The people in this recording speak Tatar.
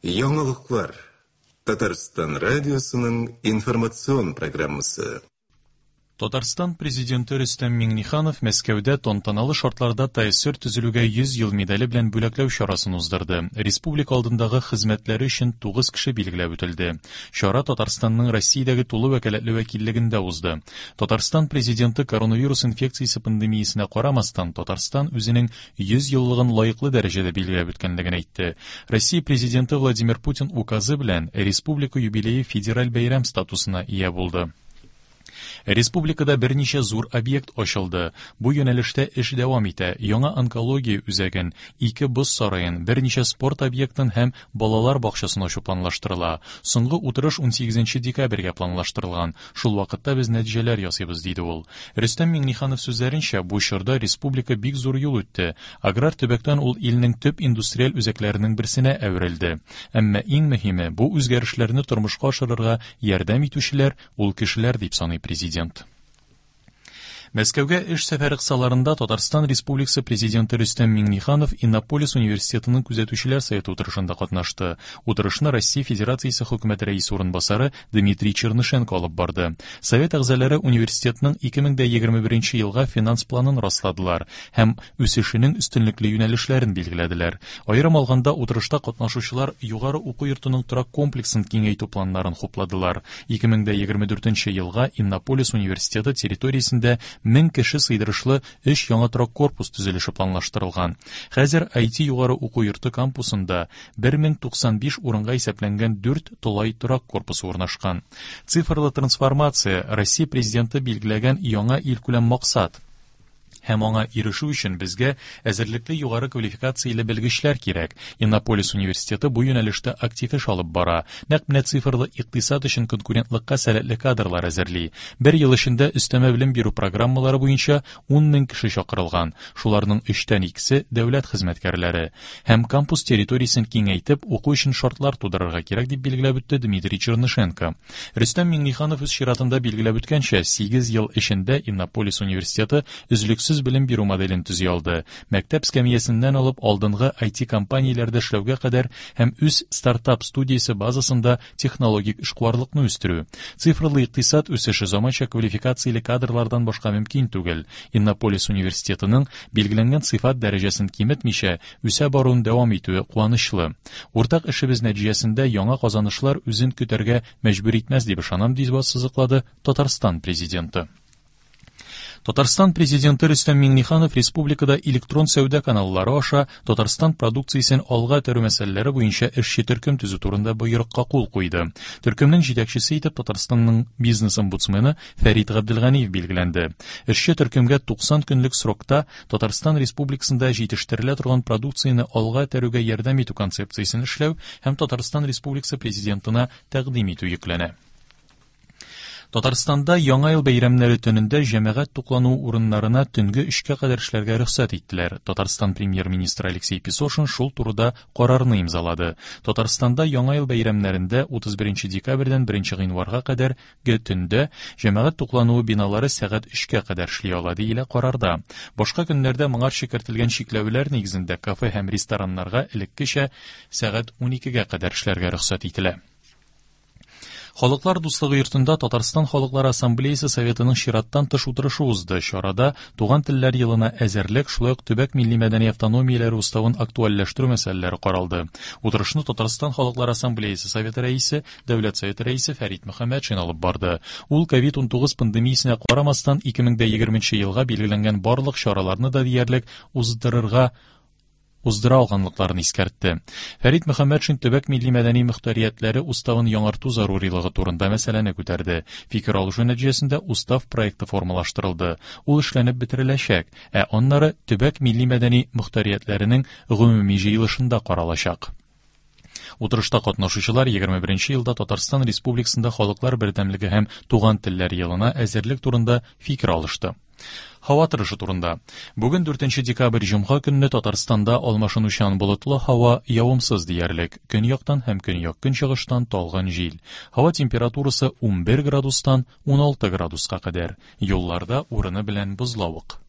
Яңалыклар. Татарстан радиосының информацион программасы. Татарстан Президенты Рөстәм Миңнеханов Мәскәүдә тантаналы шартларда ТАССР төзелүгә 100 ел медале белән бүләкләү чарасын уздырды. Республика алдындагы хезмәтләре өчен 9 кеше билгеләп үтелде. Чара Татарстанның Россиядәге тулы вәкаләтле вәкиллегендә узды. Татарстан Президенты коронавирус инфекциясе пандемиясенә карамастан, Татарстан үзенең 100 еллыгын лаеклы дәрәҗәдә билгеләп үткәнлеген әйтте. Россия Президенты Владимир Путин указы белән республика юбилее федераль бәйрәм статусына ия булды. Республикада берничә зур объект ачылды. Бу юнәлештә эш дәвам итә. Яңа онкология үзәген, ике боз сараен, берничә спорт объектын һәм балалар бакчасын ачу планлаштырыла. Соңгы утырыш 18 декабрьгә планлаштырылган. Шул вакытта без нәтиҗәләр ясыйбыз, диде ул. Рөстәм Миңнеханов сүзләренчә, бу чорда республика бик зур юл үтте. Аграр төбәктән ул илнең төп индустриаль үзәкләренең берсенә әверелде. Әмма иң мөһиме, бу үзгәрешләрне тормышка ашырырга ярдәм итүчеләр ул кешеләр, дип саный президент. Мәскәүгә эш сәфәре кысаларында Татарстан Республикасы Президенты Рөстәм Миңнеханов Иннополис университетының күзәтүчеләр советы утырышында катнашты. Утырышны Россия Федерациясе Хөкүмәте рәисе урынбасары Дмитрий Чернышенко алып барды. Совет әгъзалары университетның 2021 елга финанс планын расладылар һәм үсешенең өстенлекле юнәлешләрен билгеләделәр. Аерым алганда, утырышта катнашучылар югары уку йортының торак комплексын киңәйтү планнарын хупладылар. 2024 елга Иннополис университеты территориясендә 1000 кеше сыйдырышлы өч яңа торак корпус төзелеше планлаштырылган. Хәзер IT югары уку йорты кампусында 1095 урынга исәпләнгән дүрт тулай торак корпусы урнашкан. Цифрлы трансформация Россия Президенты билгеләгән яңа илкүләм максат. Һәм аңа ирешү өчен безгә әзерлекле югары квалификацияле белгечләр кирәк. Иннополис университеты бу юнәлештә актив эш алып бара. Нәкъ менә цифрлы икътисад өчен конкурентлыкка сәләтле кадрлар әзерли. Бер ел эчендә өстәмә белем бирү программалары буенча 10 мең кеше чакырылган. Шуларның өчтән икесе дәүләт хезмәткәрләре. Һәм кампус территориясен киңәйтеп, уку өчен шартлар тудырырга кирәк, дип билгеләп үтте Дмитрий Чернышенко. Рөстәм Миңнеханов үз чиратында билгеләп үткәнчә, 8 ел эчендә Иннополис университеты өзлексез белем бирү моделен төзи алды. Мәктәп скамьясеннән алып алдынгы IT-компанияләрдә эшләүгә кадәр һәм үз стартап студиясе базасында технологик эшкуарлыкны үстерү. Цифрлы икътисад үсеше заманча квалификацияле кадрлардан башка мөмкин түгел. Иннополис университетының билгеләнгән сыйфат дәрәҗәсен киметмичә, үсә баруын дәвам итүе куанычлы. Уртак эшебез нәтиҗәсендә яңа казанышлар үзен көтәргә мәҗбүр итмәс дип ышанам, дип ассызыклады Татарстан Президенты. Татарстан Президенты Рөстәм Миңнеханов республикада электрон сәүдә каналлары аша Татарстан продукциясен алга этәрү мәсьәләләре буенча эшче төркем төзү турында боерыкка кул куйды. Төркемнең җитәкчесе итеп Татарстанның бизнес-омбудсмены Фәрит Габделганиев билгеләнде. Эшче төркемгә 90 көнлек срокта Татарстан Республикасында җитештерелә торган продукцияне алга этәрүгә ярдәм итү концепциясен эшләү һәм Татарстан Республикасы Президентына тәкъдим итү йөкләнә. Татарстанда Яңа ел бәйрәмнәре төнендә җәмәгать туклануы урыннарына төнге өчкә кадәр эшләргә рөхсәт иттеләр. Татарстан премьер-министры Алексей Песошин шул турыда карарны имзалады. Татарстанда Яңа ел бәйрәмнәрендә 31 декабрьдән 1 гыйнварга кадәр Ге төндә җәмәгать туклануы биналары сәгать өчкә кадәр эшли ала, диелә карарда. Башка көннәрдә моңарчы кертелгән чикләүләр нигезендә кафе һәм рестораннарга элеккечә сәгать уникегә кадәр эшләргә рөхсәт ителә. Халыклар дуслыгы йортында Татарстан Халыклар Ассамблеясы Советының чираттан тыш утырышы узды. Чарада Туган телләр елына әзерлек, шулай ук төбәк милли-мәдәни автономияләре уставын актуальләштерү мәсьәләләре каралды. Утырышны Татарстан Халыклар Ассамблеясы Советы рәисе Дәүләт Советы рәисе Фәрит Мөхәммәтшин алып барды. Ул ковид-19 пандемиясенә карамастан 2020 елга билгеләнгән барлык чараларны да диярлек уздырырга уздыра алганлыкларын искәртте. Фәрит Мөхәммәтшин төбәк милли-мәдәни мөхтәриятләре уставын яңарту зарурилыгы турында мәсьәләне күтәрде. Фикер алышу нәтиҗәсендә устав проекты формалаштырылды. Ул эшләнеп бетереләчәк, ә аннары төбәк милли-мәдәни мөхтәриятләренең гомуми җыелышында каралачак. Утырышта катнашучылар 21 елда Татарстан Республикасында халыклар бердәмлеге һәм туган телләр елына әзерлек турында фикер алышты. Һава торышы турында. Бүген 4 декабрь җомга көнне Татарстанда алмашынучан болытлы һава явымсыз диярлек. Көньяктан һәм көньяк-көнчыгыштан талгын җил. Һава температурасы 11 градустан 16 градуска кадәр. Юлларда урыны белән бозлавык.